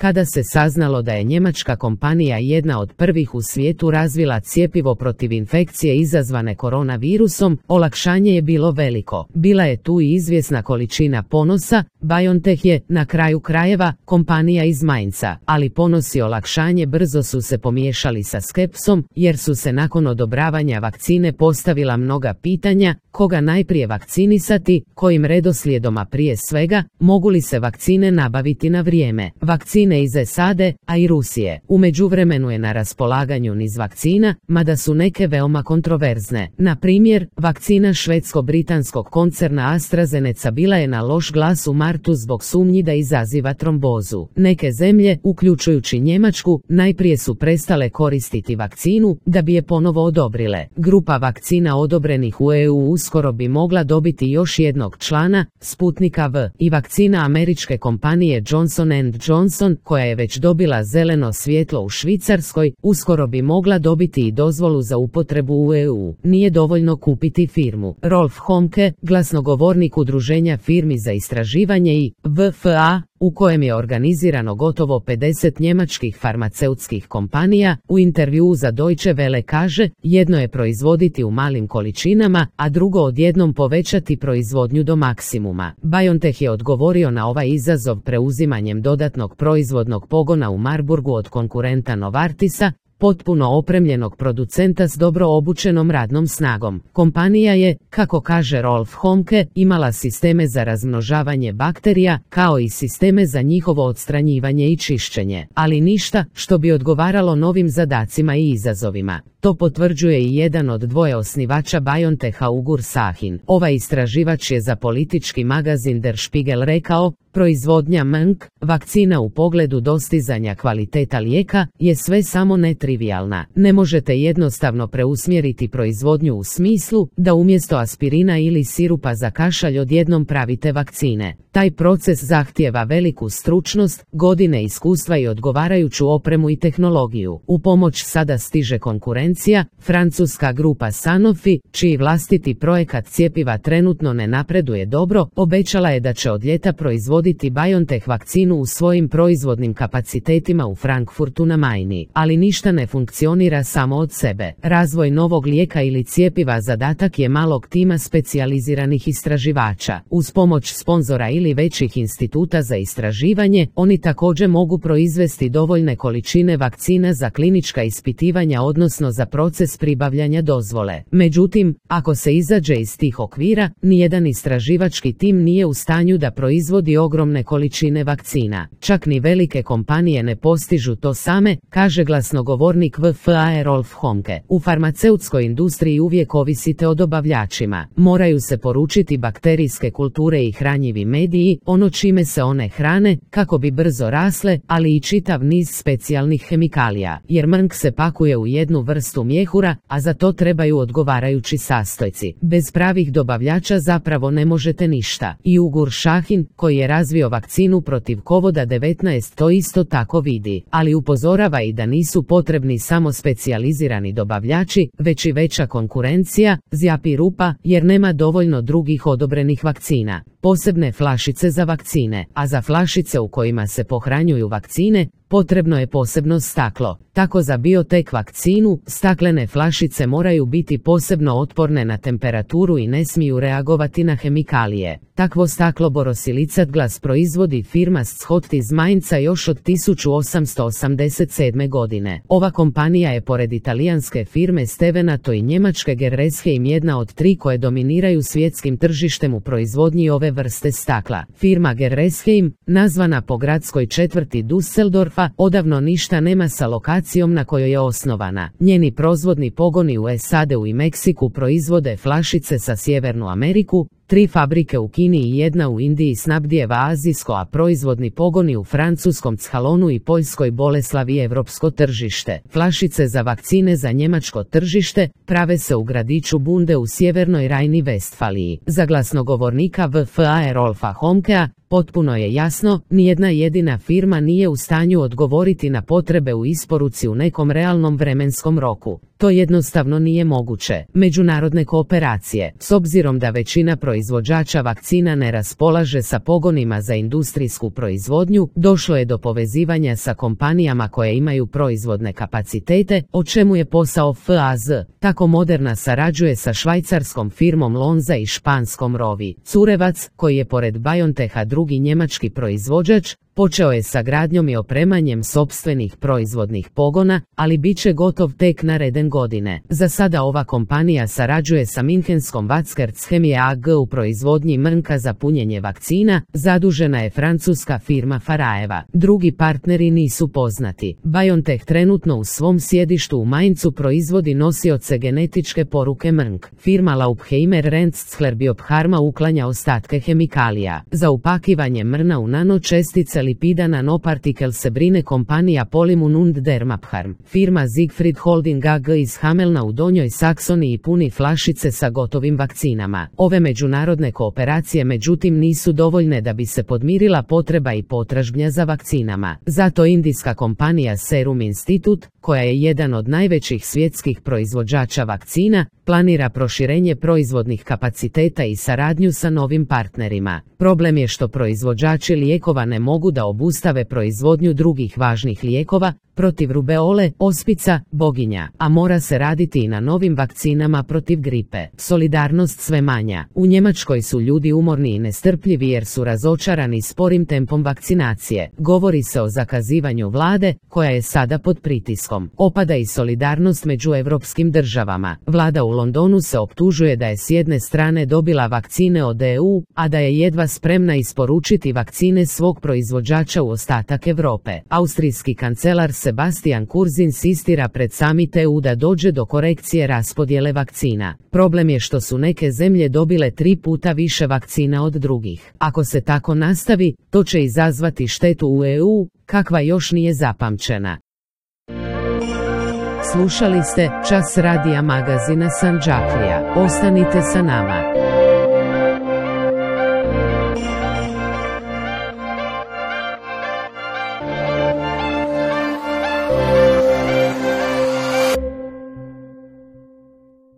Kada se saznalo da je njemačka kompanija jedna od prvih u svijetu razvila cjepivo protiv infekcije izazvane koronavirusom, olakšanje je bilo veliko. Bila je tu i izvjesna količina ponosa. BioNTech je, na kraju krajeva, kompanija iz Mainza, ali ponos i olakšanje brzo su se pomiješali sa skepsom, jer su se nakon odobravanja vakcine postavila mnoga pitanja: koga najprije vakcinisati, kojim redoslijedom, a prije svega, mogu li se vakcine nabaviti na vrijeme. Vakcine iz SAD-a, a i Rusije. U međuvremenu je na raspolaganju niz vakcina, mada su neke veoma kontroverzne. Na primjer, vakcina švedsko-britanskog koncerna AstraZeneca bila je na loš glas u martu zbog sumnji da izaziva trombozu. Neke zemlje, uključujući Njemačku, najprije su prestale koristiti vakcinu da bi je ponovo odobrile. Grupa vakcina odobrenih u EU uskoro bi mogla dobiti još jednog člana, Sputnika V, i vakcina američke kompanije Johnson & Johnson, koja je već dobila zeleno svjetlo u Švicarskoj, uskoro bi mogla dobiti i dozvolu za upotrebu u EU. Nije dovoljno kupiti firmu. Rolf Homke, glasnogovornik Udruženja firmi za istraživanje i VFA, u kojem je organizirano gotovo 50 njemačkih farmaceutskih kompanija, u intervjuu za Deutsche Welle kaže: jedno je proizvoditi u malim količinama, a drugo odjednom povećati proizvodnju do maksimuma. BioNTech je odgovorio na ovaj izazov preuzimanjem dodatnog proizvodnog pogona u Marburgu od konkurenta Novartisa, potpuno opremljenog producenta s dobro obučenom radnom snagom. Kompanija je, kako kaže Rolf Homke, imala sisteme za razmnožavanje bakterija, kao i sisteme za njihovo odstranjivanje i čišćenje, ali ništa što bi odgovaralo novim zadacima i izazovima. To potvrđuje i jedan od dvoje osnivača BioNTecha, Ugur Sahin. Ovaj istraživač je za politički magazin Der Spiegel rekao: proizvodnja mRNA, vakcina u pogledu dostizanja kvaliteta lijeka, je sve samo netrivijalna. Ne možete jednostavno preusmjeriti proizvodnju u smislu da umjesto aspirina ili sirupa za kašalj odjednom pravite vakcine. Taj proces zahtijeva veliku stručnost, godine iskustva i odgovarajuću opremu i tehnologiju. U pomoć sada stiže konkurencija, francuska grupa Sanofi, čiji vlastiti projekat cjepiva trenutno ne napreduje dobro, obećala je da će od ljeta proizvoditi BioNTech vakcinu u svojim proizvodnim kapacitetima u Frankfurtu na Majni. Ali ništa ne funkcionira samo od sebe. Razvoj novog lijeka ili cjepiva zadatak je malog tima specijaliziranih istraživača. Uz pomoć sponzora ili većih instituta za istraživanje, oni također mogu proizvesti dovoljne količine vakcina za klinička ispitivanja, odnosno za proces pribavljanja dozvole. Međutim, ako se izađe iz tih okvira, nijedan istraživački tim nije u stanju da proizvodi ogromne količine vakcina. Čak ni velike kompanije ne postižu to same, kaže glasnogovornik VFA Rolf Homke. U farmaceutskoj industriji uvijek ovisite o dobavljačima. Moraju se poručiti bakterijske kulture i hranjivi mediji, ono čime se one hrane, kako bi brzo rasle, ali i čitav niz specijalnih hemikalija, jer mRNA se pakuje u jednu vrstu mjehura, a za to trebaju odgovarajući sastojci. Bez pravih dobavljača zapravo ne možete ništa. I Ugur Sahin, koji je razvio vakcinu protiv COVID-19, to isto tako vidi, ali upozorava i da nisu potrebni samo specijalizirani dobavljači, već i veća konkurencija, zjapi rupa, jer nema dovoljno drugih odobrenih vakcina. Posebne flašice za vakcine, a za flašice u kojima se pohranjuju vakcine, potrebno je posebno staklo. Tako za BioNTech vakcinu, staklene flašice moraju biti posebno otporne na temperaturu i ne smiju reagovati na hemikalije. Takvo staklo borosilicat glas proizvodi firma Schott iz Mainza još od 1887. godine. Ova kompanija je pored italijanske firme Stevenato i njemačke Gerresheim jedna od tri koje dominiraju svjetskim tržištem u proizvodnji ove vrste stakla. Firma Gerresheim, nazvana po gradskoj četvrti Düsseldorfa, odavno ništa nema sa lokacijom na kojoj je osnovana. Njeni proizvodni pogoni u SAD-u i Meksiku proizvode flašice za Sjevernu Ameriku, 3 fabrike u Kini i jedna u Indiji snabdijeva azijsko, a proizvodni pogoni u francuskom Chalonu i Poljskoj Boleslavi evropsko tržište. Flašice za vakcine za njemačko tržište prave se u gradiću Bunde u sjevernoj Rajni-Vestfaliji. Za glasnogovornika VFA Rolfa Homkea, potpuno je jasno, nijedna jedina firma nije u stanju odgovoriti na potrebe u isporuci u nekom realnom vremenskom roku. To jednostavno nije moguće. Međunarodne kooperacije, s obzirom da većina proizvođača proizvođača vakcina ne raspolaže sa pogonima za industrijsku proizvodnju, došlo je do povezivanja sa kompanijama koje imaju proizvodne kapacitete, o čemu je posao FAZ. Tako Moderna sarađuje sa švajcarskom firmom Lonza i španskom Rovi. Curevac, koji je pored BioNTecha drugi njemački proizvođač, počeo je sa gradnjom i opremanjem sopstvenih proizvodnih pogona, ali bit će gotov tek naredne godine. Za sada ova kompanija sarađuje sa minhenskom Watzkertschemie AG u proizvodnji mrnka za punjenje vakcina, zadužena je francuska firma Faraeva. Drugi partneri nisu poznati. BioNTech trenutno u svom sjedištu u Mainzu proizvodi nosioce genetičke poruke mrnk. Firma Laupheimer Rentzler Biopharma uklanja ostatke hemikalija. Za upakivanje mrna u nanočestice lipida nanopartikel se brine kompanija Polymun und Dermapharm. Firma Siegfried Holding AG iz Hamelna u Donjoj Saksoniji puni flašice sa gotovim vakcinama. Ove međunarodne kooperacije međutim nisu dovoljne da bi se podmirila potreba i potražnja za vakcinama. Zato indijska kompanija Serum Institute, koja je jedan od najvećih svjetskih proizvođača vakcina, planira proširenje proizvodnih kapaciteta i saradnju sa novim partnerima. Problem je što proizvođači lijekova ne mogu da obustave proizvodnju drugih važnih lijekova, protiv rubeole, ospica, boginja, a mora se raditi i na novim vakcinama protiv gripe. Solidarnost sve manja. U Njemačkoj su ljudi umorni i nestrpljivi jer su razočarani sporim tempom vakcinacije. Govori se o zakazivanju vlade, koja je sada pod pritiskom. Opada i solidarnost među evropskim državama. Vlada u Londonu se optužuje da je s jedne strane dobila vakcine od EU, a da je jedva spremna isporučiti vakcine svog proizvođača u ostatak Europe. Austrijski kancelar Sebastian Kurz insistira pred summit EU da dođe do korekcije raspodjele vakcina. Problem je što su neke zemlje dobile 3 puta više vakcina od drugih. Ako se tako nastavi, to će izazvati štetu u EU, kakva još nije zapamćena. Slušali ste Čas radija magazina Sandžaklija. Ostanite sa nama.